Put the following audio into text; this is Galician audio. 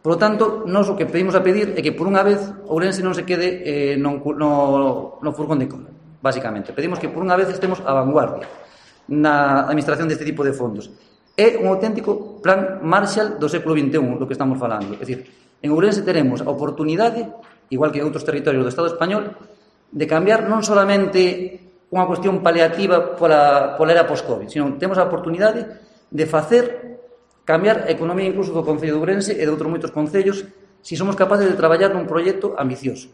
Por lo tanto, nós o que pedimos a pedir é que, por unha vez, Ourense non se quede no furgón de cola, basicamente. Pedimos que, por unha vez, estemos a vanguardia na administración deste tipo de fondos. É un auténtico plan Marshall do século XXI, do que estamos falando. É dicir, en Ourense teremos a oportunidade, igual que en outros territorios do Estado español, de cambiar non solamente unha cuestión paliativa pola era post-Covid, sino temos a oportunidade de facer cambiar a economía incluso do Concello de Ourense e de outros moitos concellos se somos capaces de traballar nun proxecto ambicioso.